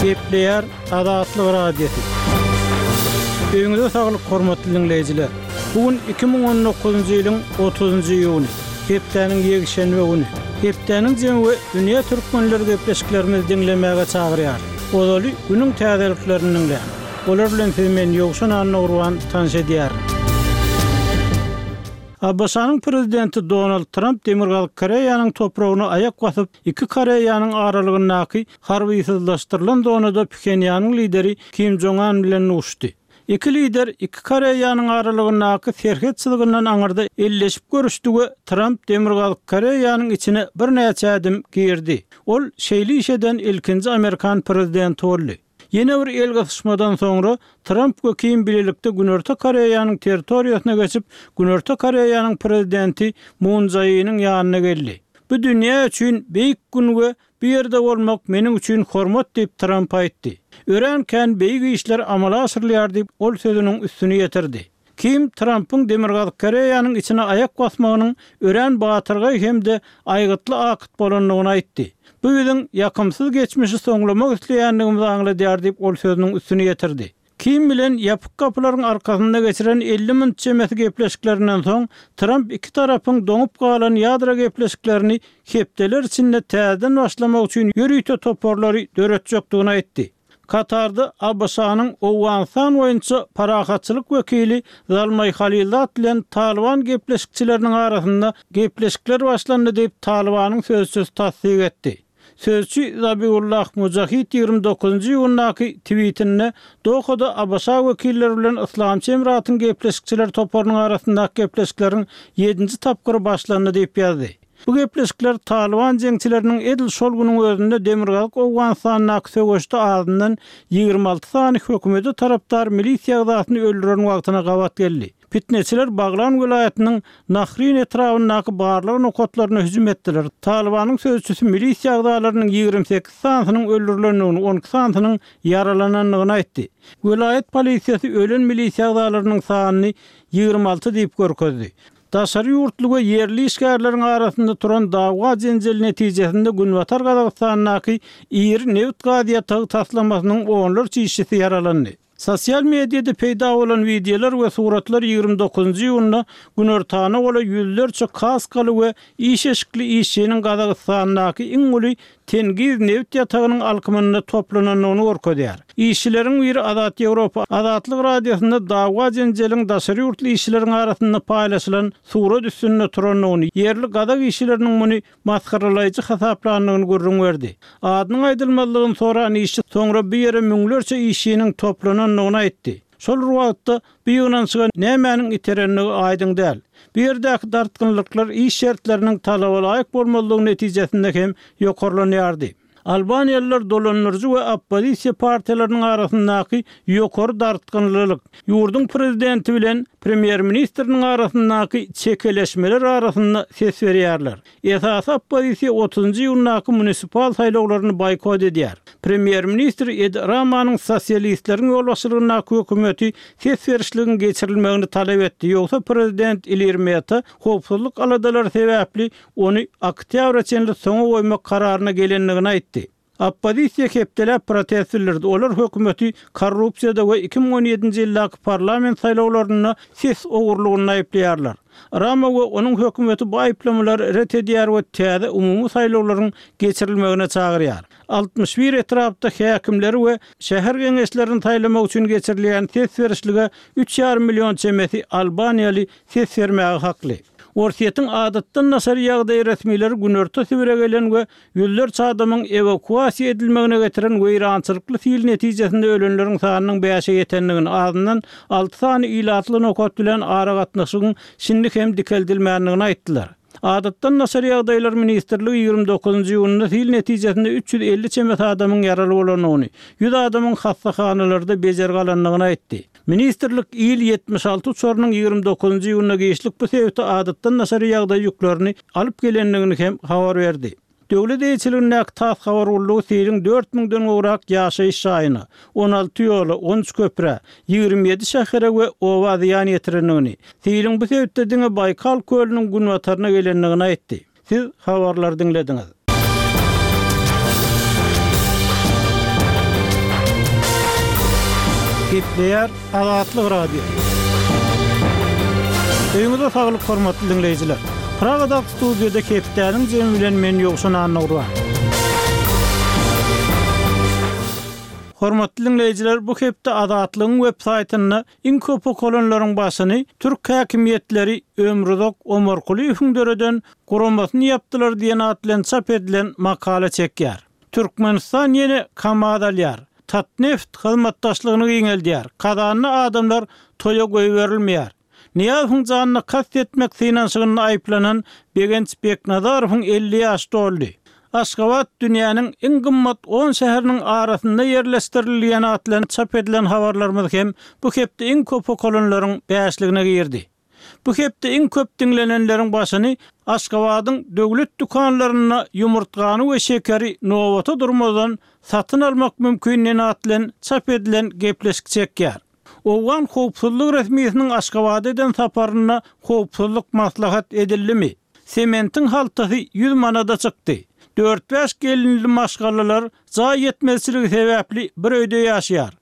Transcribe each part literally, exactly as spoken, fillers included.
Gepleýär Azatlyk Radiosy. Öýüňize saglyk, hormatly diňleýjiler. Bu gün iki müň on dokuzynjy ýylyň otuzynjy iýuny, hepdäniň ýekşenbe güni. Hepdäniň jemi we dünýä türkmenleri gepleşiklerimizi diňlemäge çagyrýar. Ozaly günüň täzeliklerini diňläň. Olar bilen sizi men Ýowşan Annagurban tanyş edýärin. ABŞ-nyň prezidenti Donald Tramp Demirgazyk Koreýanyň topragyna aýak basyp, iki Koreýanyň aralygyndaky harbysyzlaşdyrylan zonada Phenýanyň lideri Kim Jong Un bilen duşdy. Iki lider iki Koreýanyň aralygyndaky serhet çyzgyndan aňyrda elleşip görüşdi we Tramp Demirgazyk Koreýanyň içine birnäçe ädim girdi. Ol şeýle iş eden ilkinji Amerikan prezidenti boldy. Ýene bir el gysyşmadan soňra Tramp we Kim birlikde Günorta Koreýanyň territoriýasyna geçip, Günorta Koreýanyň prezidenti Moon Jae-iniň ýanyna geldi. Bu dünýä üçin beýik gün we bu ýerde bolmak meniň üçin hormat diýip Tramp aýtdy. Örän kän beýik işler amala aşyrylýar diýip ol sözüniň üstüni ýetirdi. Kim Trampyň Demirgazyk Koreýanyň içine aýak basmagynyň örän batyrgaý hem-de aýgytly akyt bolandygyny aýtdy. Bu biziň ýakymsyz geçmişi soňlamak isleýändigimizi aňladýar diýip ol sözüniň üstüni ýetirdi. Kim bilen ýapyk kapylaryň arkasynda geçiren elli minut çemesi gepleşiklerinden soň Tramp iki tarapyň doňup galan ýadro gepleşiklerini hepdeler içinde täzeden başlamak üçin ýörite toparlary döretjekdigini aýtdy. Katarda ABŞ-nyň Owganystan boýunça parahatçylyk wekili Zalmaý Halilzad bilen Talyban gepleşikçileriniň arasynda gepleşikler başlandy diýip Talybanyň sözçüsi tassyk etdi. Sözçi Zabiullah Mujahid ýigrimi dokuzynjy iýundaky tweetinde Dohada ABŞ wekilleri bilen Yslamçy Emiratyň gepleşikçiler toparynyň arasyndaky gepleşikleriň ýedinji tapgyry başlandy diýip ýazdy. Bu gepleşikler Talyban jeňçileriniň edil şol günüň özünde Demirgazyk Owganystandaky söweşde azyndan ýigrimi alty sany hökümete tarapdar milisiýa agzasyny öldüren wagtyna gabat geldi. Fitneçiler Baglan welaýatynyň Nahrin etrabyndaky barlag nokatlaryna hüjüm etdiler. Talybanyň sözçüsi milisiýa agzalarynyň ýigrimi sekiz sanysynyň öldürilendigini, on iki sanysynyň ýaralanandygyny aýtdy. Welaýat polisiýasy ölen milisiýa agzalarynyň sanyny ýigrimi alty diýip görkezdi. Daşary ýurtly we ýerli işgärleriň arasynda turan dawa jenjel netijesinde Günbatar Gazagystandaky iri nebit gaz ýatagy taslamasynyň onlarça işçisi ýaralandy. Sosial mediada peýda bolan wideolar we suratlar ýigrimi dokuzynjy iýunda Günortana gola ýüzlerçe kaskaly we iş eşikli işçiniň Gazagystandaky iň uly Tengiz nebit ýatagynyň alkymynda toplanandygyny görkezýär. Işçileriň biri Azat Ýewropa Azatlyk Radiosynda dawa jenjeliň daşary ýurtly işçileriň arasynda paýlaşylan surat üstünde turandygyny, ýerli gazak işçileriniň muny masgaralaýjy hasaplandygyny gürrüň berdi. Adynyň aýdylmazlygyny soran işçi soňra bu ýere müňlerçe işçiniň toplanandygyny aýtdy. Şol bir wagtda bu ýygnanyşyga nämäniň iterendigi aýdyň däl. Bu ýerdäki dartgynlyklar iş şertleriniň talaba laýyk bolmazlygy netijesinde hem ýokarlanýardy. Albaniýalylar dolandyryjy we oppozisiýa partiýalarynyň arasyndaky ýokary dartgynlylyk, ýurduň prezidenti bilen premýer-ministriniň arasyndaky çekeleşmeler arasynda ses berýärler. Esasy oppozisiýa otuzynjy iýundaky munisipal saýlawlaryny boýkot edýär. Premýer-ministr Edi Ramanyň sosialistleriň ýolbaşçylygyndaky hökümeti ses berişligiň geçirilmegini talap etdi, ýogsa prezident Ilir Meta howpsuzlyk aladalary sebäpli ony oktýabra çenli soňa goýmak kararyna gelendigini aýtdy. Oppozisiýa hepdeläp protest bildirdi, olar hökümeti korrupsiýada we iki müň on ýedinji ýyldaky parlament saýlawlarynda ses ogurlygynda aýyplaýarlar. Rama we onuň hökümeti bu aýyplamalary ret edýär we täze umumy saýlawlaryň geçirilmegine çagyrýar. Altmyş bir etrapda häkimleri we şäher geňeşlerini saýlamak üçin geçirilýän ses berişlige üç ýarym million çemesi albaniýaly ses bermäge hakly. Orsýetiň adatdan daşary ýagdaý resmileri Günorta Sibire gelen we ýüzlerçe adamyň ewakuasiýa edilmegine getiren weýrançylykly sil netijesinde ölenleriň sanynyň bäşe ýetendigini, azyndan alty sany ilatly nokat bilen aragatnaşygyň şindi hem dikeldilmändigini aýtdylar. Adatdan daşary ýagdaýlar ministrligi ýigrimi dokuzynjy iýunda sil netijesinde üç ýüz elli çemesi adamyň ýaraly bolandygyny, ýüz adamyň hassahanalarda bejergi alandygyny aýtdy. Ministrlik Il ýetmiş alty uçarynyň ýigrimi dokuzynjy iýunda giçlik bu sebite adatdan daşary ýagdaý ýüklerini alyp gelendigini hem habar berdi. Döwlet eýeçiligindäki TASS habar gullugy siliň dört müňden gowrak ýaşaýyş jaýyna, on alty ýola, on üç köprä, ýigrimi ýedi şähere we oba zyýan ýetirendigini, siliň bu sebitde diňe Baýkal kölüniň günbataryna gelendigini aýtdy. Siz habarlary diňlediňiz. Gepleýär Azatlyk Radiosy. Öýüňize saglyk hormatly diňleýjiler. Pragadaky studiýada hepdäniň jemi bilen men Ýowşan Annagurban. Hormatly diňleýjiler, bu hepde Azatlygyň web saýtynda iň köp okalanlaryň başyny türk häkimiýetleri Ömruzak Omarkulyýewiň döreden guramasyny ýapdylar diýen at bilen çap edilen makala çekýär. Türkmenistan ýene KAMAZ alýar. Tatneft hyzmatdaşlygyny giňeldýär. Kazanda adamlar toýa goýberilmeýär. Nyýazowyň janyna kast etmek synanyşygynda aýyplanan Begenç Beknazarowyň elli ýaşy doldy. Aşgabat dünýäniň iň gymmat on şäheriniň arasynda ýerleşdirildi diýen at bilen çap edilen habarlarymyz hem bu hepde iň köp okalanlaryň bäşligine girdi. Bu hepde iň köp diňlenenleriň başyny Aşgabadyň döwlet dükanlarynda ýumurtgany we şekeri nobata durmadan satyn almak mümkin diýen at bilen çap edilen gepleşik çekýär. Owgan howpsuzlyk resmisiniň Aşgabada eden saparynda howpsuzlyk maslahat edildimi? Sementiň haltasy ýüz manada çykdy. Dört-bäş gelinli maşgalalar jaý ýetmezçiligi sebäpli bir öýde ýaşaýar.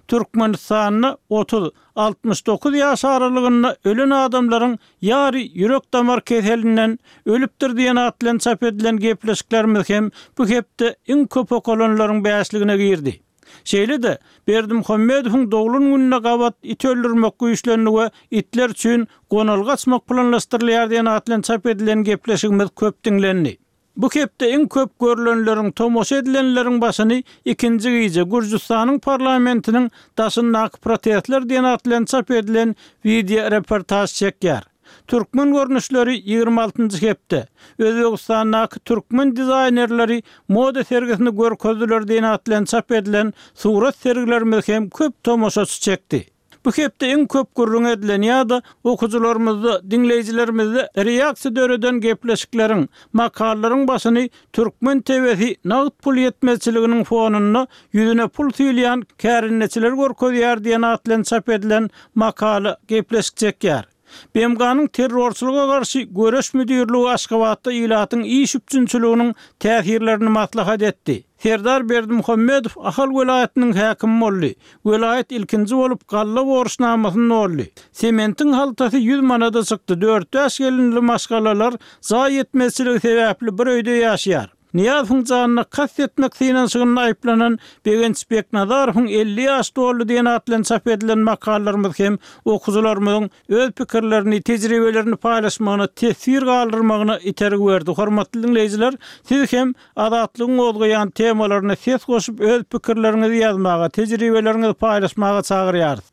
Türkmenistanda otuz, altmyş dokuz ýaş aralygynda ölen adamlaryň ýary ýürek-damar keselinden ölüpdir diýen at bilen çap edilen gepleşiklerimiz hem bu hepde iň köp okalanlaryň bäşligine girdi. Şeýle-de, Berdimuhamedowyň doglan gününe gabat it öldürmek güýçlendi we itler üçin gonalga açmak planlaşdyrylýar diýen at bilen çap edilen gepleşigimiz köp diňlendi. Bu hepde iň köp görlenleriň, tomaşa edilenleriň başyny ikinji gije Gürjüstanyň parlamentiniň daşyndaky protestler diýen at bilen çap edilen wideo reportaž çekýär. Türkmen görnüşleri ýigrimi altynjy hepde Özbegistandaky türkmen dizaýnerleri moda sergisini görkezdiler diýen at bilen çap edilen surat sergilerimiz hem köp tomaşaçy çekdi. Bu hepde iň köp gürrüň edilen ýa-da okyjylarymyzda, diňleýjilerimizde reaksiýa döreden gepleşikleriň, makalalaryň başyny türkmen T V-si nagt pul ýetmezçiliginiň fonunda ýüzüne pul süýlýän kärendeçiler görkezýär diýen at bilen çap edilen makala gepleşik çekýär. B M G-nyň terrorçylyga garşy göreş müdirligi Aşgabatda ilatyň iş üpjünçiliginiň täsirlerini maslahat etdi. Serdar Berdimuhamedow Ahal welaýatynyň häkimi boldy. Welaýat ilkinji bolup galla borçnamasyny doldy. Sementiň haltasy ýüz manada çykdy. Dört-bäş gelinli maşgalalar jaý ýetmezçiligi sebäpli bir öýde ýaşaýar. Nyýazowyň janyna kast etmek synanyşygynda aýyplanan Begenç Beknazarowyň elli ýaş doldy diýen at bilen çap edilen makalalarymyz hem okyjylarymyzyň öz pikirlerini, tejribelerini paýlaşmagyna, teswir galdyrmagyna itergi berdi. Hormatly diňleýjiler, siz hem Azatlygyň gozgaýan temalaryna ses goşup öz pikirleriňizi ýazmaga, tejribeleriňizi paýlaşmaga çagyrýarys.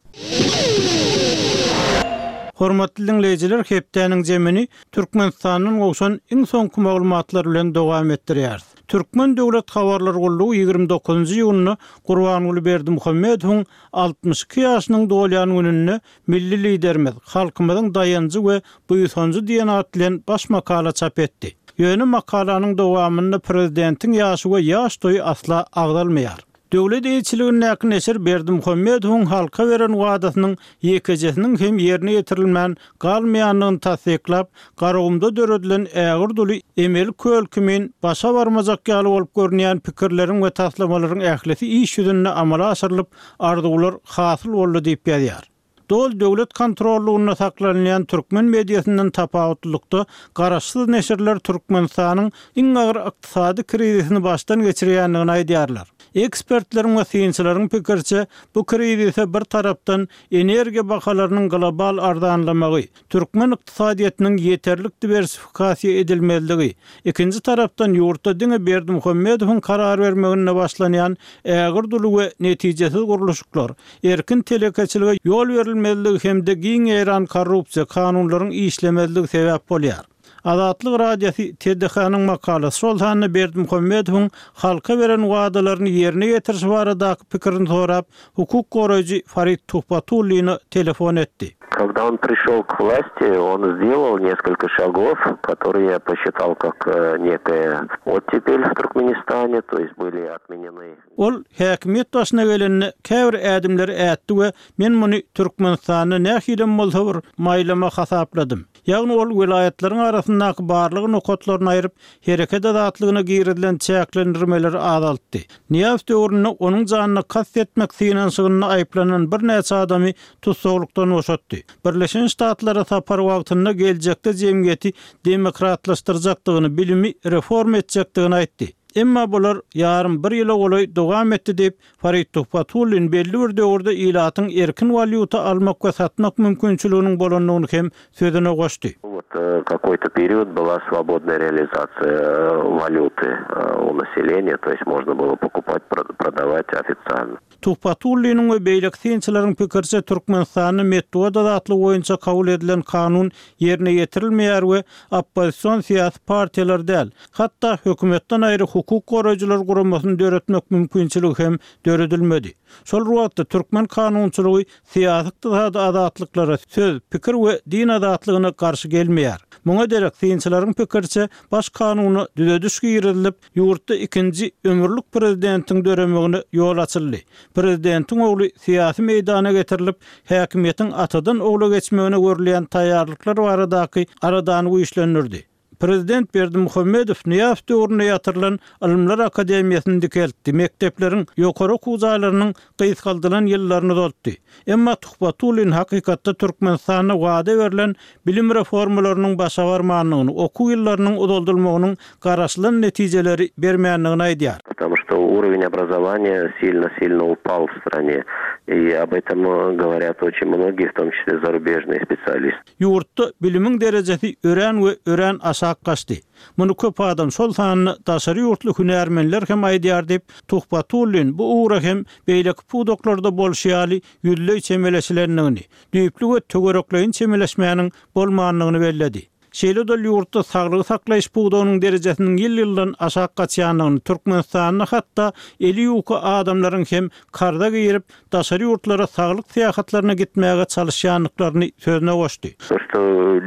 Hormatly diňleýjiler, hepdäniň jemini Türkmenistandan gowşan iň soňky maglumatlar bilen dowam etdirýäris. Türkmen Döwlet Habarlar Gullugy ýigrimi dokuzynjy iýunda Gurbanguly Berdimuhamedowyň altmyş iki ýaşynyň dolýan gününde milli liderimiz, halkymyzyň daýanjy we buýsanjy diýen at bilen baş makala çap etdi. Ýöne makalanyň dowamynda prezidentiň ýaşy we ýaş toýy asla agzalmaýar. Döwlet eýeçiligindäki neşir Berdimuhamedowyň halka beren wadasynyň ýekejesiniň hem ýerine ýetirilmän galmaýandygyny tassyklap, Garagumda döredilen ägir duly emeli köl kimin başa barmajak ýaly bolup görünýän pikirleriň we taslamalaryň ählisi iş ýüzünde amala aşyrylyp, arzuwlar hasyl boldy diýip ýazýar. Dol döwlet kontrollugynda saklanylýan türkmen mediasyndan tapawutlylykda garaşsyz neşirler Türkmenistanyň iň agyr ykdysady krizisini başdan geçirýändigini aýdýarlar. Ekspertleriň we synçylaryň pikirçe bu krizise bir tarapdan energiýa bahalarynyň global arzanlamagy, türkmen ykdysadyýetiniň ýeterlik diwersifikasiýa edilmezligi, ikinji tarapdan ýurtda diňe Berdimuhamedowyň karar bermeginde başlanýan ägir duly we netijesiz gurluşyklar, erkin telekeçilige ýol berilmezligi hem-de giň ýaýran korrupsiýa kanunlaryň işlemezligi sebäp bolýar. Azatlyk Radiosy T D H-nyň makalasy şol sanda Berdimuhamedowyň halka beren wadalaryny ýerine ýetirişi baradaky pikirini sorap, hukuk goraýjy Farid Tuhbatullina telefon etdi. Когда он пришел к власти, он сделал несколько шагов, которые я посчитал как, э, некая оттепель в Туркменистане, то есть были отменены. Ol häkimiýet başyna gelende käbir ädimleri ätdi we men muny Türkmenistanda nähilem bolsa bir maýlama hasapladym. Ýagny ol welaýatlaryň arasyndaky barlyk nokatlaryny aýryp, hereket azatlygyna girizilen çäklendirmeleri azaltdy. Nyýazow döwründe onuň janyna kast etmek synanyşygynda aýyplanan birnäçe adamy tussaglykdan boşatdy. Birleşen Ştatlara sapar wagtynda geljekde jemgyýeti demokratlaşdyrjakdygyny, bilimi reform etjekdigini aýtdy. Emma bular ýarym bir ýyla golaý dowam etdi diýip, Farid Tuhbatullin belli bir döwürde ilatyň erkin walýuta almak we satmak mümkinçiliginiň bolandygyny hem sözüne goşdy. Вот э, какой-то период была свободная реализация э, валюты э, у населения, то есть можно было покупать, продавать официально. Tuhbatulliniň we beýleki synçylaryň pikiriçe Türkmenistanda metbugat azatlygy boýunça kabul edilen kanun ýerine ýetirilmeýär we oppozision syýasy partiýalar däl, hatda hökümetden aýry hukuk goraýjylar guramasyny döretmek mümkinçiligi hem döredilmedi. Şol wagtda türkmen kanunçylygy syýasy ykdysady azatlyklara söz, pikir we din azatlygyna garşy gelmeýär. Muňa derek synçylaryň pikiriçe baş kanuna düzediş girizilip, ýurtda ikinji ömürlik prezidentiň döremegine ýol açyldy. Prezidentiň ogly syýasy meýdana getirilip, häkimiýetiň atadan ogla geçmegine görülýän taýýarlyklar baradaky aladany güýçlendirdi. Prezident Berdimuhamedow Nyýazow döwründe ýatyrylan Ylymlar Akademiýasyny dikeltdi. Mekdepleriň ýokary okuw jaýlarynyň gysgaldylan ýyllaryny uzaltdy. Emma Tuhbatullin hakykatda Türkmenistanda wada berlen bilim reformalarynyň başa barmandygyny, okuw ýyllarynyň uzaldylmagynyň garaşylan netijeleri bermändigini aýdýar. Потому что уровень образования сильно-сильно упал в стране. И об этом говорят очень многие, в том числе зарубежные специалисты. Ýurtda bilimiň derejesi örän we örän aşak gaçdy. Muny köp adam şol sanda daşary ýurtly hünärmenler hem aýdýar diýip, Tuhbatullin bu ugra hem beýleki pudaklarda bolşy ýaly ýüzleý çemeleşilendigini, düýpli we töwerekleýin çemeleşmäniň bolmandygyny belledi. Şeýle-de ýurtda saglygy saklaýyş pudagynyň derejesiniň ýyl-ýyldan aşak gaçýandygyny, Türkmenistanda hatda eli ýuka adamlaryň hem karza girip daşary ýurtlara saglyk syýahatlaryna gitmäge çalyşýandyklaryny sözüne goşdy. То, что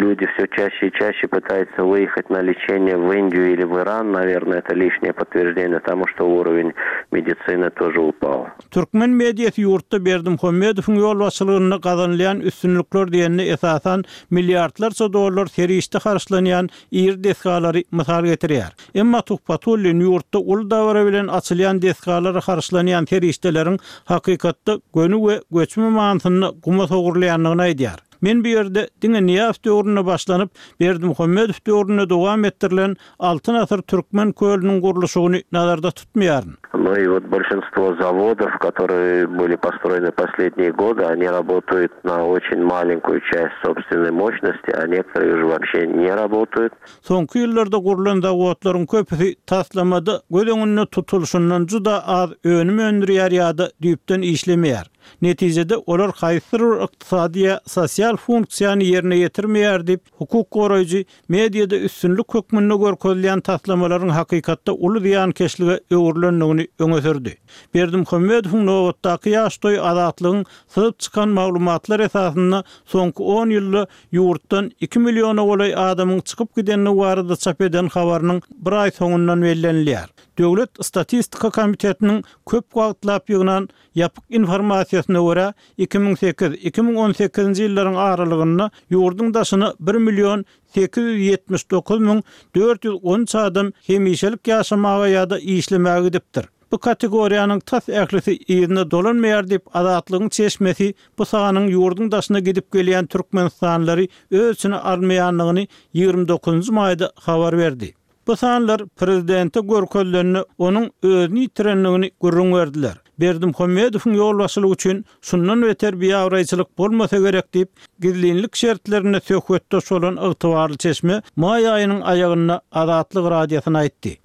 люди все чаще и чаще пытаются выехать на лечение в Индию или в Иран, наверное, это лишнее подтверждение тому, что уровень медицины тоже упал. Türkmen mediasy ýurtda Berdimuhamedowyň ýolbaşçylygynda gazanylýan üstünlikler diýenine esasan milliardlarça dollar serişde harçlanýan iri desgalary mysal getirýär. Emma Tuhbatullin ýurtda uly dabara bilen açylýan desgalara harçlanýan serişdeleriň hakykatda göni we göçme manysynda guma sowurylýandygyny aýdýar. Men bu ýerde diňe Nyýazow döwründe başlanyp, Berdimuhamedow döwründe dowam etdirilen Altyn asyr Türkmen kölüniň gurluşygyny nazarda tutmaýaryn. Ну и вот большинство заводов, которые были построены последние годы, они работают на очень маленькую часть собственной мощности, а некоторые уже вообще не работают. Soňky ýyllarda gurlan zawodlaryň köpüsi taslamada göz öňünde tutulyşyndan juda az önüm öndürýär ýa-da düýpden işlemeýär. Netijede olar haýsydyr bir ykdysady ýa sosial funksiýany ýerine ýetirmeýär diýip, hukuk goraýjy mediada üstünlik hökmünde görkezilýän taslamalaryň hakykatda uly zyýankeşlige öwrülendigini öňe sürdi. Berdimuhamedowyň nobatdaky ýaş toýy azatlygyň syzyp çykan maglumatlar esasynda soňky on ýylda ýurtdan iki milliona golaý adamyň çykyp gidendigi barada çap eden habarynyň bir aý soňundan bellenilýär. Döwlet Statistika Komitetiniň köp wagtlap ýygnan ýapyk informasiýasyna görä iki müň sekiz iki müň on sekizinji ýyllaryň aralygynda ýurduň daşyna bir million sekiz ýüz ýetmiş dokuz müň dört ýüz on üç adam hemişelik ýaşamaga ýa-da işlemäge gidipdir. Bu kategoriýanyň tas ählisi yzyna dolanmaýar diýip Azatlygyň çeşmesi bu sanyň ýurduň daşyna gidip gelýän Türkmenistanlylary öz içine almaýandygyny ýigrimi dokuzynjy maýda habar berdi. Bu sanlar prezidente görkezilende onuň özüni ýitirendigini gürrüň berdiler. Berdimuhamedowyň ýolbaşçylygy üçin şundan beter biabraýçylyk bolmasa gerek diýip, gizlinlik şertlerinde söhbetdeş bolan ygtybarly çeşme maý aýynyň aýagynda Azatlyk radiosyna aýtdy.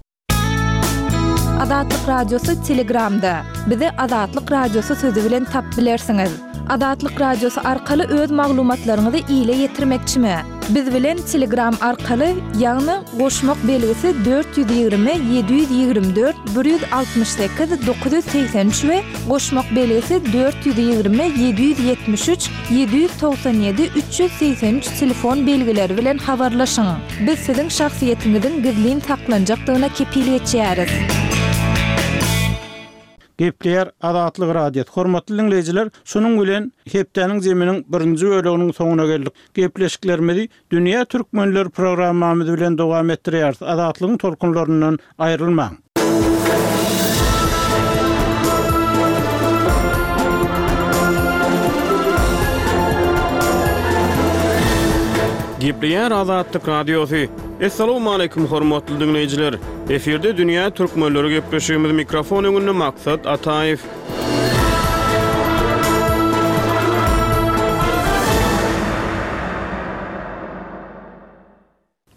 Azatlyk Radiosy Telegramda. Bizi Azatlyk Radiosy sözü bilen tap bilersiňiz. Azatlyk Radiosy arkaly öz maglumatlaryňyzy ile ýetirmekçimi? Biz bilen Telegram arkaly, ýagny goşmak belgisi dört ýüz ýigrimi, ýedi ýüz ýigrimi dört, bir ýüz altmyş sekiz, dokuz ýüz segsen üç we goşmak belgisi dört ýüz ýigrimi, ýedi ýüz ýetmiş üç, ýedi ýüz togsan ýedi, üç ýüz segsen üç telefon belgileri bilen habarlaşyň. Biz siziň şahsyýetiňiziň gizlin saklanjakdygyna kepil geçýäris. Gepleýär Azatlyk Radiosy. Hormatly diňleýjiler, şunuň bilen hepdäniň zeminiň birinji böleginiň soňuna geldik. Gepleşiklerimizi Dünýä Türkmenler programmamyz bilen dowam etdirýäris. Azatlygyň tolkunlaryndan aýrylmaň. Gepleýär Azatlyk Radiosy. Assalamu hormatly dinleýjiler. Efirde Dünýä Türkmenleri gepleşigimiz mikrofon öňünde Maksat Ataýew.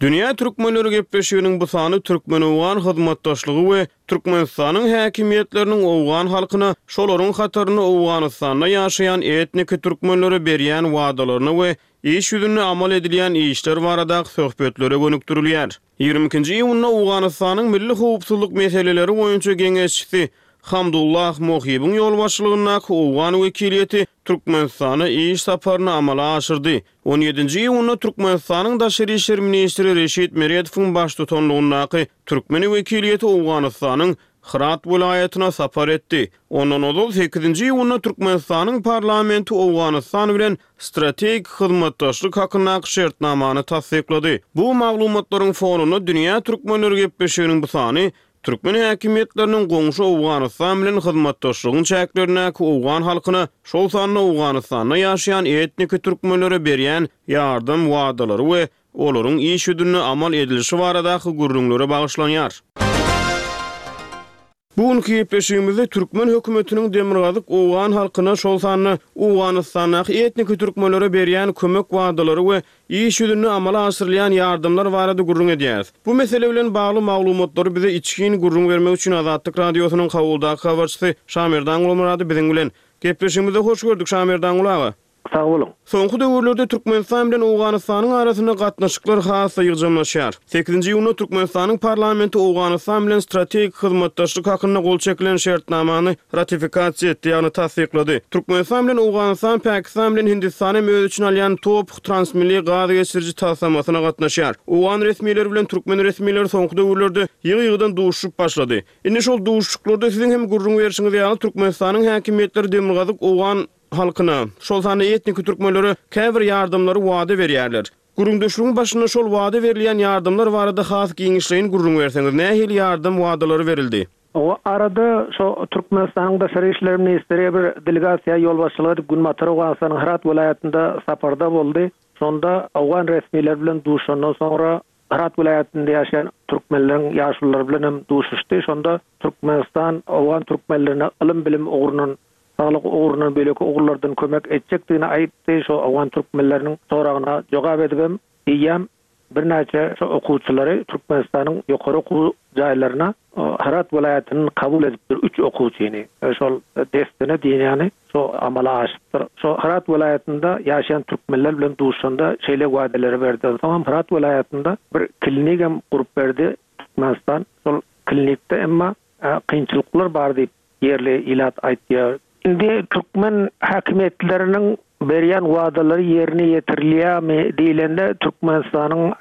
Dünýä Türkmenleri gepleşiginiň bu sany Türkmen-Owgan hyzmatdaşlygy we Türkmenistanyň häkimiýetleriniň Owgan halkyna, şolaryň hatarynda Owganystanda ýaşaýan etniki türkmenlere berýän wadalaryna we iş ýüzünde amal edilýän işler baradaky söhbetlere gönükdirilýär. Ýigrimi ikinji iýunda Owganystanyň milli howpsuzlyk meseleleri boýunça geňeşçisi Hamdullah Mohibiň ýolbaşçylygyndaky Owgan wekiliýeti Türkmenistana iş saparyny amala aşyrdy. On ýedinji iýunda Türkmenistanyň Daşary işler ministri Reşit Meredowyň baştutanlygyndaky Türkmen wekiliýeti Owganystanyň Hyrat welaýatyna sapar etdi. Ondan ozal sekizinji iýunda Türkmenistanyň parlamenti Owganystan bilen strategik hyzmatdaşlyk hakyndaky şertnamany tassyklady. Bu maglumatlaryň fonunda Dünýä Türkmenleri gepleşiginiň bu sany Türkmen häkimiýetleriniň goňşy Owganystan bilen hyzmatdaşlygyň çäklerindäki Owgan halkyna, şol sanda Owganystanda ýaşaýan etniki türkmenlere berýän ýardam wadalary we olaryň iş ýüzünde amal edilişi baradaky gürrüňlere bagyşlanýar. Bu günkü gepleşigimizde Türkmen hökümetiniň Demirgazyk Owgan halkyna, şol sanda Owganystandaky etniki türkmenlere berýän kömek wadalary we iş ýüzünde amala aşyrylýan ýardamlar barada gürrüň edýäris. Bu mesele bilen bagly maglumatlary bize içgin gürrüň bermek üçin Azatlyk Radiosynyň Kabuldaky habarçysy Şamerdan Gulmyrady biziň bilen. Gepleşigimize hoş gördük Şamerdan Gul aga. Sag boluň. Soňky döwürlerde Türkmenistan bilen Owganystanyň arasynda gatnaşyklar has ýygjamlaşýar. Sekizinji iýunda Türkmenistanyň parlamenti Owganystan bilen strategik hyzmatdaşlyk hakynda gol çekilen şertnamany ratifikasiýa etdi, ýagny tassyklady. Türkmenistan bilen Owganystan, Pakistan bilen Hindistan hem öz içine alýan top transmilli gaz geçiriji taslamasyna gatnaşýar. Owgan resmileri bilen türkmen resmileri soňky döwürlerde ýygy-ýygydan duşup başlady. Indi şol duşuşyklarda siziň hem gürrüň berşiňiz ýaly Türkmenistanyň häkimiýetleri Demirgazyk Owgan halkyna, şol sanda etniki türkmenlere käbir ýardamlary wada berýärler. Gürrüňdeşligiň başynda şol wada berilýän ýardamlar barada has giňişleýin gürrüň berseňiz, nähili ýardam wadalary berildi? O arada şo Türkmenistanyň Daşary işler ministri bir delegasiýa ýolbaşçylyk edip Günbatar Owganystanyň Hyrat welaýatynda saparda boldy. Şonda Owgan resmileri bilen duşandan soňra Hyrat welaýatynda ýaşaýan türkmenleriň ýaşululary bilen hem duşuşdy. Şonda Türkmenistan Owgan türkmenlerine ylym bilim ugrundan, saglyk ugrundan, beýleki ugurlardan kömek etjekdigini aýtdy. Şo Owgan türkmenleriniň soragyna jogap edip hem diýýän birnäçe şo okuwçylary Türkmenistanyň ýokary okuw jaýlaryna Hyrat welaýatynyň kabul edipdir üç okuwçyny. Şol destine diýýäni şo amala aşypdyr. Şo Hyrat welaýatynda ýaşaýan türkmenler bilen duşanda şeýle wadaleri berdi. Soňam Hyrat welaýatynda bir klinik hem gurup berdi Türkmenistan. Şol klinikde emma kynçylyklar bar diýip ýerli ilat aýtýar. Indi türkmen häkimiýetleriniň berýän wadalary ýerine ýetirilýärmi diýlende Türkmenistanyň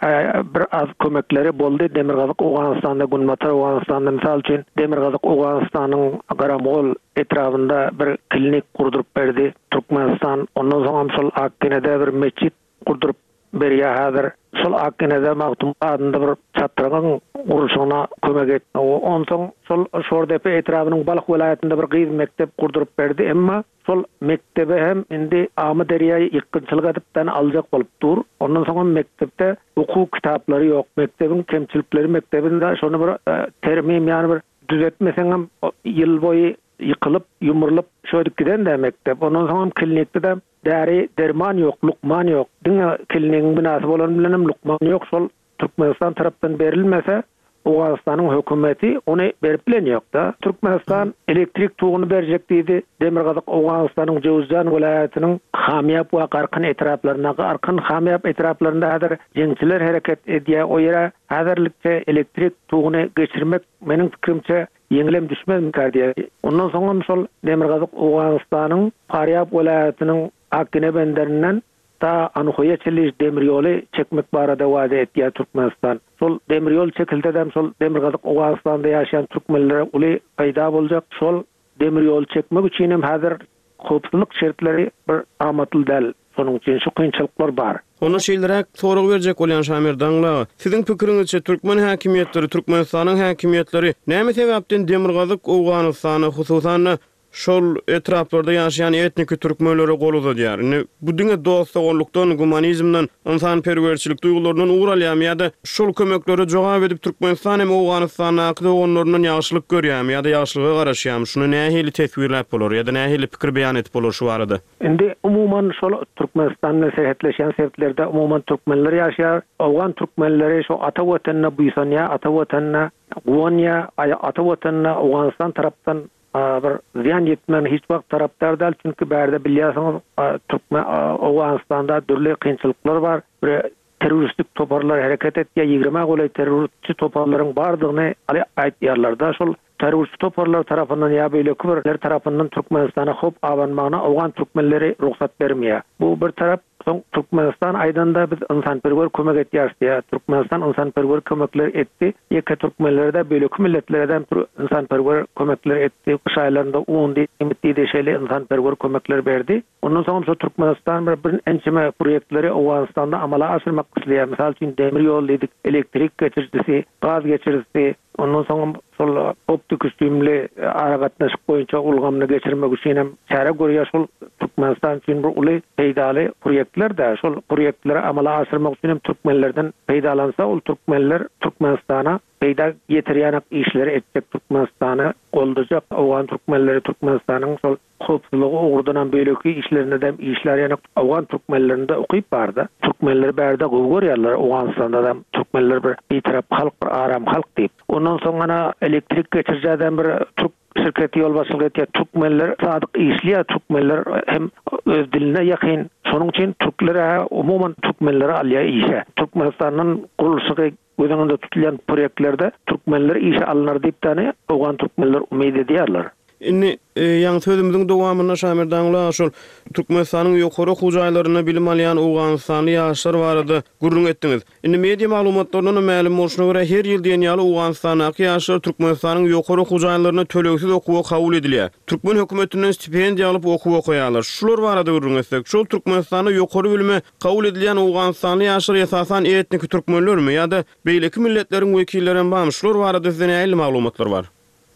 bir az kömekleri boldy. Demirgazyk Owganystanda, Günbatar Owganystanda, mysal üçin Demirgazyk Owganystanyň Garamgol etrabynda bir klinik gurduryp berdi Türkmenistan. Ondan soň hem şol Akgenede bir mesjit gurduryp berýär häzir. Şol Akgenede Magtym adynda bir çatrygyň gurluşygyna kömek etdi. Onsoň şol Şordepe etrabynyň Balh welaýatynda bir gyz mekdep gurduryp berdi. Emma şol mektebe hem indi Amyderýa ýykgynçylyk edipden aljak bolup dur. Ondan soň hem mekdepde okuw kitaplary ýok. Mekdebiň kemçilikleri mekdebinde şony bir termim, ýagny bir düzetmeseň hem ýyl boýy ýykylyp, ýumrulyp şöýdüp giden de mekdep. Ondan soň hem klinikde de däri derman ýok, lukman ýok. Diňe klinigiň binasy bolan bilen hem lukman ýok. Şol Türkmenistan tarapdan berilmese Owganystanyň hökümeti ony berip bilen ýok-da. Türkmenistan elektrik toguny berjek diýdi. Demirgazyk Owganystanyň Jowzjan welaýatynyň Hamýap we Garkyn etraplarynda, Garkyn Hamýap etraplarynda häzir jeňçiler hereket edýär. O ýere häzirlikçe elektrik toguny geçirmek meniň pikrimçe ýeňilem düşmezmikär diýär. Ondan soň hem şol Demirgazyk Owganystanyň Farýab welaýatynyň Akgine benderinden ta Anhoýa çenli demir ýoly çekmek barada wada etýär Türkmenistan. Şol demir ýol çekilse hem şol Demirgazyk Owganystanda ýaşaýan türkmenlere uly peýda boljak. Şol demir ýoly çekmek üçin hem häzir howpsuzlyk şertleri bir amatly däl. Şonuň üçin şu kynçylyklar bar. Onda şeýleräk sorag berjek bolýan Şamerdan aga, siziň pikiriňizçe türkmen häkimiýetleri, Türkmenistanyň häkimiýetleri näme sebäpden Demirgazyk Owganystana, hususan-da, şol etraplarda ýaşaýan etniki türkmenlere gol uzadýar? Indi bu diňe dost-doganlykdan, gumanizmden, ynsanperwerçilik duýgularyndan ugur alýarmy ýa-da şol kömeklere jogap edip Türkmenistan hem Owganystandaky doganlaryndan ýagşylyk görýärmi ýa-da ýagşylyga garaşýarmy? Şuny nähili teswirläp bolar ýa-da nähili pikir beýan edip bolar şu barada? Indi umuman şol Türkmenistan bilen serhetleşýän sebitlerde umuman türkmenler ýaşaýar. Owgan türkmenleri şo ata watanyna buýsanýar, ata watanyna guwanýar, ata watanyna Owganystan tarapdan bir zyýan ýetmegine hiç wagt tarapdar däl, çünki bärde bilýärsiňiz türkmen Owganystanda dürli kynçylyklar bar, bir terroristik toparlar hereket etýär, ýigrimä golaý terrorçy toparlaryň bardygyny aýtýarlar-da, şol terrorçy toparlar tarapyndan ýa beýleki birler tarapyndan Türkmenistana howp abanmagyna owgan türkmenleri rugsat bermeýär. Bu bir tarap, soň Türkmenistan aýdanda biz ynsanperwer kömek etýäris diýýär. Türkmenistan ynsanperwer kömekler etdi. Ýeke türkmenlere-de beýleki milletlere-de ynsanperwer kömekler etdi. Gyş aýlarynda un diýip diýdi şeýle ynsanperwer kömekler berdi. Ondan soňam şu Türkmenistan bir bir ençeme proýektleri Owganystanda amala aşyrmak isleýär. Mysal üçin demir ýol diýdik, elektrik geçirijisi, gaz geçirijisi, ondan soňam şol optiki süýümli aragatnaşyk boýunça ulgamyny geçirmek üçin hem çäre görýär. Şol Türkmenistan üçin bir uly peýdaly proýektler-de. Şol proýektleri amala aşyrmak üçin hem türkmenlerden peýdalansa, ol türkmenler Türkmenistana peýda getirýän işleri etjek, Türkmenistany goldajak, owgan türkmenleri Türkmenistanyň şol howpsuzlygy ugurdanam beýleki işlerinde-de işlär ýaly owgan türkmenlerinde ukyp barda. Türkmenleri bärde gowy görýärler, Owganystanda-da türkmenler bir bitarap halk, bir aram halk diýip. Ondan soň ana elektrik geçirijäden bir türk şirketi ýolbaşçylyk etýär. Türkmenler sadyk işleýär, türkmenler hem öz diline ýakyn. Şonuň üçin türkler umuman türkmenleri alýar işe. Türkmenistandan gurluşygy göz öňünde tutulýan proýektlerde türkmenler işe alnar diýip däne owgan türkmenler umyt edýärler. Indi ýaňy sözümiziň dowamynda Şamerdanguly aga şol Türkmenistanyň ýokary okuw jaýlarynda bilim alýan owganystanly ýaşlar barada gürrüň etdiňiz. Indi media maglumatlaryndan hem mälim bolşuna görä, her ýyl diýen ýaly Owganystandaky ýaşlar Türkmenistanyň ýokary okuw jaýlaryna tölegsiz okuwa kabul edilýär. Türkmen hökümetinden stipendiýa alyp okuw okaýarlar. Şular barada gürrüň etsek, şol Türkmenistanda ýokary bilime kabul edilýän owganystanly ýaşlar esasan etniki türkmenlermi ýa-da beýleki milletleriň wekillerem barmy? Şular barada sizde nähili maglumatlar bar?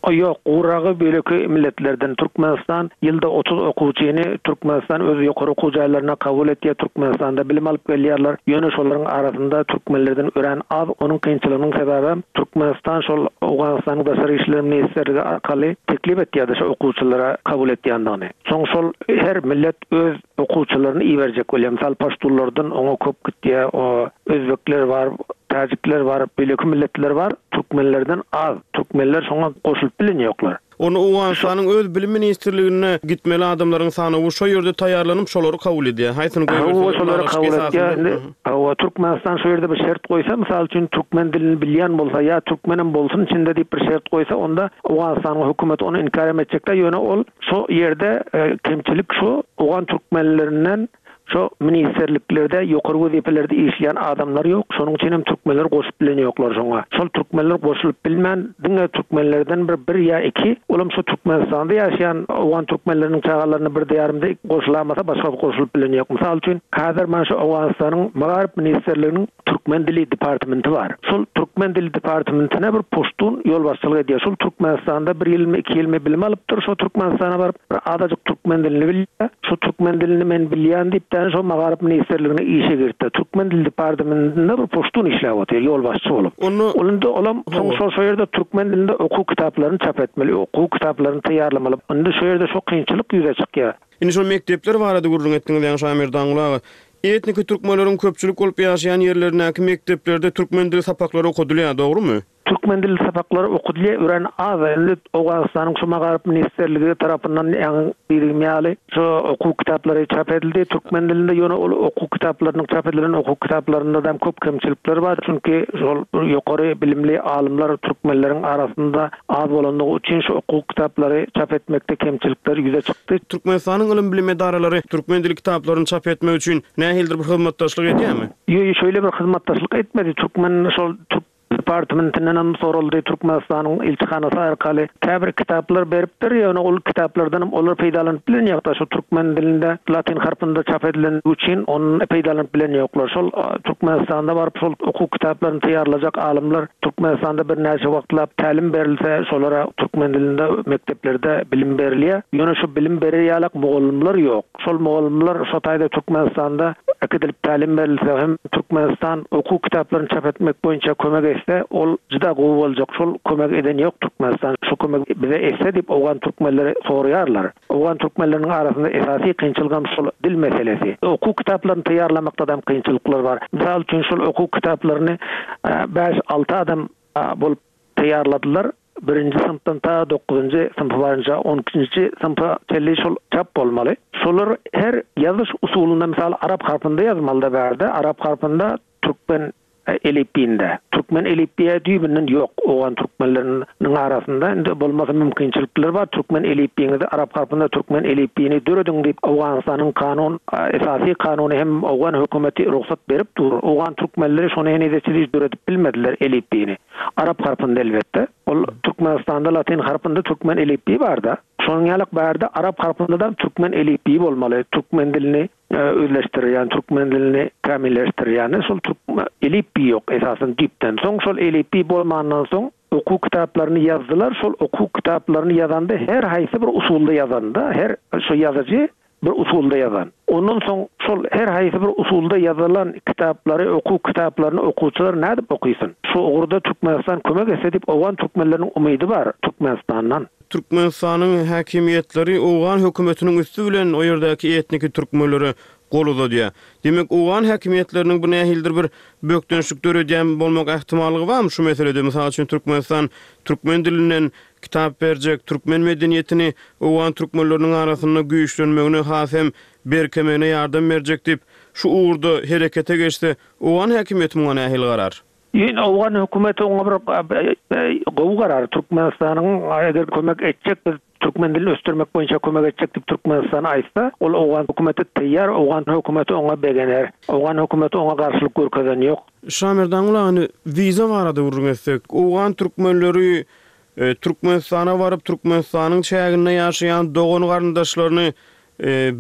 Ýok, guragy beýleki milletlerden. Türkmenistan ýylda otuz okuwçyny Türkmenistan öz ýokary okuw jaýlaryna kabul etýär, Türkmenistanda bilim alyp gelýärler. Ýöne şolaryň arasynda türkmenlerden örän az. Onuň kynçylygynyň sebäbem Türkmenistan şol Owganystanyň Daşary işler ministrligi arkaly teklip etýärdi şo okuwçylara kabul etýändigini. Soň şol her millet öz okuwçylaryny iberjek bolýar. Mysal paştunlardan oňa köp gitýär, o özbekler bar, täjikler bar, beýleki milletler bar, türkmenlerden az. Türkmenler şoňa goşulyp bilen ýoklar. Onda Owganystanyň öz bilim ministrligine gitmeli adamlaryň sanawy şo ýerde taýýarlanyp, şolary kabul edýär. Haýsyny goýberseler, şolary kabul edýär. Indi hawa, Türkmenistan şo ýerde bir şert goýsa, mysal üçin, türkmen dilini bilýän bolsa ýa türkmenem bolsun içinde diýip bir şert goýsa, onda Owganystanyň hökümeti ony inkar hem etjek däl, ýöne ol şo ýerde kemçilik şo owgan türkmenlerinden şo ministrliklerde ýokary wezipelerde işleýän adamlar ýok, şonuň üçin hem türkmenler goşup bilen ýoklar şoňa. Şol türkmenler goşulyp bilmän diňe türkmenlerden bir bir ýa iki, olam şo Türkmenistanda ýaşaýan owgan türkmenleriniň çagalaryny birde ýarymda goşulamasa başga goşulyp bilen ýok. Mysal üçin, häzir mana şu Owganystanyň Magaryf ministrliginiň Türkmen dili departamenti bar. Şol Türkmen dili departamentine bir puştun ýolbaşçylyk edýär. Şol Türkmenistanda bir ýylmy, iki ýylmy bilim alypdyr. Şo Türkmenistana baryp, bir azajyk türkmen dilini bilýär. Şo türkmen dilini men bilýän diýip, däne şo Magaryf ministrligine işe giripdir. Türkmen dili departamentinde bir puştun işläp otyr, ýolbaşçy bolup. Onda Ol indi olam soň şo şo ýerde türkmen dilinde okuw kitaplaryny çap etmeli, okuw kitaplaryny taýýarlamaly. Indi şo ýerde şo kynçylyk ýüze çykýar. Indi şol mekdepler barada gürrüň etdiňiz, ýaňy Şamerdanguly aga. Etniki türkmenleriň köpçülik bolup ýaşaýan ýerlerindäki mekdeplerde türkmen dili sapaklary okadylýar, dogrumy? Türkmen dili sapaklary okadylýar, örän az. Indi Owganystanyň şu Magaryf ministrligi tarapyndan ýaňy diýdigim ýaly, şu okuw kitaplary çap edildi türkmen dilinde, ýöne ol okuw kitaplarynyň çap edilen okuw kitaplarynda-da köp kemçilikler bar, çünki şol ýokary bilimli alymlar türkmenleriň arasynda az bolandygy üçin şu okuw kitaplary çap etmekde kemçilikler ýüze çykdy. Türkmenistanyň ylym-bilim edaralary türkmen dili kitaplaryny çap etmek üçin nähilidir bir hyzmatdaşlyk edýärmi? Ýo, şeýle bir hyzmatdaşlyk etmedi. Türkmen şol türk Departmentinden hem soruldy Türkmenistanyň ilçihanasy arkaly käbir kitaplar beripdir. Ýöne ol kitaplardan hem olar peýdalanyp bilen ýoklar. Şu türkmen dilinde latyn harpynda çap edilen üçin onun peýdalanyp bilen ýoklar. Şol Türkmenistanda baryp şol okuw kitaplaryny taýýarlajak alymlar Türkmenistanda birnäçe wagtlap tälim berilse, şolara türkmen dilinde mekdeplerde bilim berilýär. Ýöne şu bilim berer ýalak mugallymlar ýok. Şol mugallymlar şo taýda Türkmenistanda äkidilip tälim berilse hem Türkmenistan okuw kitaplaryny çap etmek boýunça kömek etse, ol juda gowy boljak. Şol kömek eden ýok Türkmenistan. Şu kömek bize etse diýip owgan türkmenleri soraýarlar. Owgan türkmenleriniň arasynda esasy kynçylyk hem şol dil meselesi. Okuw kitaplaryny taýýarlamakda da kynçylyklar bar. Mysal üçin şol okuw kitaplaryny bäş alty adam bolup taýýarladylar. Birinji synpdan ta dokuzynjy synpa barynça on ikinji synpa çenli şol çap bolmaly. Şolar her ýazyş usulynda mysal arap harpynda ýazmaly da bärde, arap harpynda türkmen elipbiýinde. Türkmen elipbiýi düýbünden ýok owgan türkmenleriniň arasynda. Indi bolmasa mümkinçilikler bar. Türkmen elipbiýiňizi arap harpynda türkmen elipbiýini dörediň diýip Owganystanyň kanun esasy kanuny hem owgan hökümeti rugsat berip dur. Owgan türkmenleri şony heniz çenli döredip bilmediler elipbiýini. Arap harpynda elbetde. Ol Türkmenistanda latyn harpynda türkmen elipbiýi barda. Şonuň ýaly bärde arap harpynda da türkmen elipbiýi bolmaly. Türkmen dilini özleşdirýän, türkmen dilini kämilleşdirýän şol türkmen elipbiýi ýok esasan düýpden. Soň şol elipbiý bolmandan soň okuw kitaplaryny ýazdylar. Şol okuw kitaplaryny ýazanda her haýsy bir usulda ýazanda, her şu ýazyjy bir usulda ýazan. Ondan soň şol her haýsy bir usulda ýazylan kitaplary, okuw kitaplaryny okuwçylar nädip okysyn? Şu ugurda Türkmenistan kömek etse diýip owgan türkmenleriniň umydy bar Türkmenistandan. Türkmenistanyň häkimiýetleri owgan hökümetiniň üsti bilen o ýerdäki etniki türkmenlere gol uzadýar. Demek owgan häkimiýetleriniň bu nähildir bir bökdençlik döredýän bolmak ähtimallygy barmy şu meselede? Mysal üçin Türkmenistan türkmen dilinden kitap berjek, türkmen medeniýetini owgan türkmenleriniň arasynda güýçlenmegine, has hem berkemegine ýardam berjek diýip şu ugurda herekete geçse, owgan häkimiýeti muňa nähili garar? Ýene owgan hökümeti oňa bir gowy garar. Türkmenistanyň eger kömek etjek, biz türkmen dilini ösdürmek boýunça kömek etjek diýip Türkmenistan aýtsa, ol owgan hökümeti taýýar, owgan hökümeti oňa begener. Owgan hökümeti oňa garşylyk görkezen ýok. Şamerdan ulany wiza barada gürrüň etsek, owgan türkmenleri Türkmenistana baryp Türkmenistanyň çäginde ýaşaýan dogan garyndaşlaryny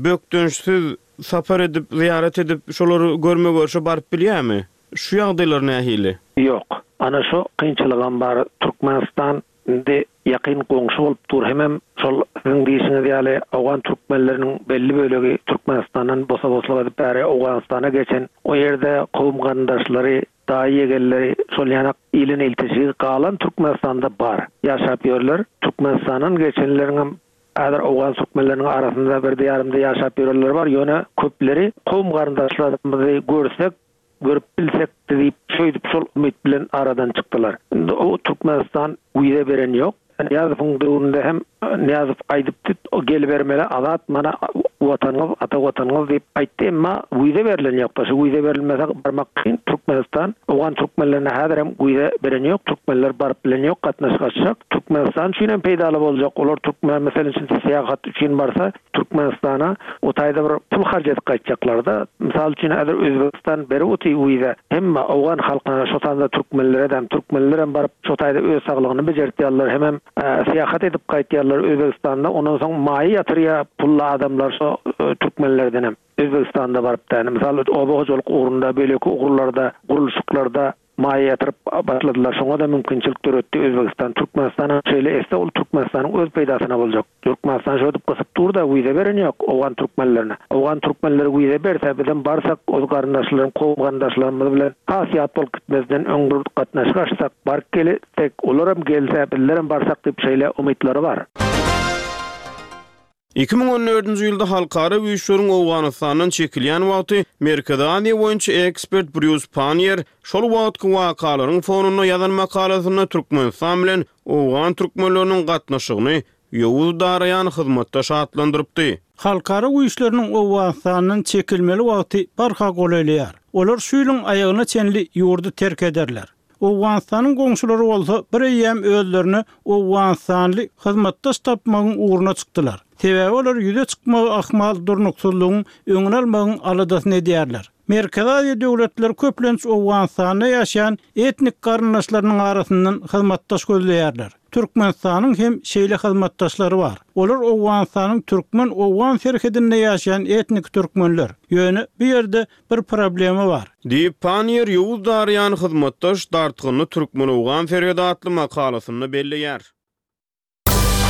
bökdençsiz sapar edip, ziýaret edip, şolary görme görşe baryp bilýärmi? Şu ýagdaýlar nähili? Ýok. Ana şu kynçylygam bar. Türkmenistan indi ýakyn goňşy bolup dur. Hemem şol siziň diýişiňiz ýaly owgan türkmenleriniň belli bölegi Türkmenistandan bosa-boslyk edip bäri Owganystana geçen, o ýerde kowum garyndaşlary, daýy ýegenleri şol ýanak ilin ilteşigi galan Türkmenistanda bar. Ýaşap ýörler. Türkmenistandan geçenleriň hem häzir owgan türkmenleriniň arasynda bir diýarymda ýaşap ýörenler bar. Ýöne köpleri kowum garyndaşlarymyzy görsek, görüp bilsek diýip şöýdüp şol umyt bilen aradan çykdylar. Indi o Türkmenistan wiza beren ýok. Nyýazowyň döwründe hem Nyýazow aýdypdy, o gelibermeli azat mana watanyňyz, ata watanyňyz diýip aýtdy, emma wiza berlen ýok. Şu wiza berilmese barmak kyn. Türkmenistan owgan türkmenlerine häzir hem wiza beren ýok. Türkmenler baryp bilen ýok, gatnaşyk açjak. Türkmenistan üçin hem peýdaly boljak. Olar türkmen meselem üçin syýahat üçin barsa Türkmenistana o taýda bir pul harç edip gaýtjaklar-da. Mysal üçin häzir Özbekistan berip oty wiza. Hemme owgan halkyna, şo sanda türkmenlere de, türkmenler hem baryp şo taýda öz saglygyny bejertýärler, hemem syýahat edip gaýtýarlar Özbekistanda. Ondan soň maýa ýatyrýar pully adamlar şo türkmenlerden hem Özbekistanda baryp da, mysal oba hojalyk ugrunda, beýleki ugurlarda, gurluşyklarda maýa ýatyryp başladylar. Şoňa da mümkinçilik döretdi Özbekistan. Türkmenistan şeýle etse ol Türkmenistanyň öz peýdasyna boljak. Türkmenistan şöýdüp gysyp dur da wiza beren ýok owgan türkmenlerine. Owgan türkmenleri wiza berse bizem barsak öz garyndaşlarym, kowum garyndaşlarymyz bilen has ýat bolup gitmezden öň bir gatnaşyk açsak, baryp gelsek, olaram gelse, bizlerem barsak diýip şeýle umytlary bar. Iki müň on dördünji ýylda halkara güýçleriň Owganystandan çekilýän wagty Merkezi Aziýa boýunça ekspert Brýus Pannier şol wagtky wakalaryň fonunda ýazan makalasynda Türkmenistan bilen owgan türkmenleriniň gatnaşygyny ýowuz daraýan hyzmatdaş atlandyrypdy. Halkara güýçleriniň Owganystandan çekilmeli wagty barha golaýlaýar. Olar şu ýylyň aýagyna çenli ýurdy terk ederler. Owganystanyň goňşulary bolsa bir eýýäm özlerine Owganystanly hyzmatdaş tapmagyň ugruna çykdylar. Sebäbi olar ýüze çykmagy ahmal durnuksyzlygyň öňüni almagyň aladasyny edýärler. Merkezi Aziýa döwletleri köplenç Owganystanda ýaşaýan etnik garyndaşlarynyň arasyndan hyzmatdaş gözleýärler. Türkmenistanyň hem şeýle hyzmatdaşlary bar. Olar Owganystanyň türkmen-owgan serhedinde ýaşaýan etnik türkmenler. Ýöne bu ýerde bir problema bar. Diýip, Panniýer Ýowuz daraýan hyzmatdaş, dartgynly türkmen-owgan serhedi atly makalasynda belleýär.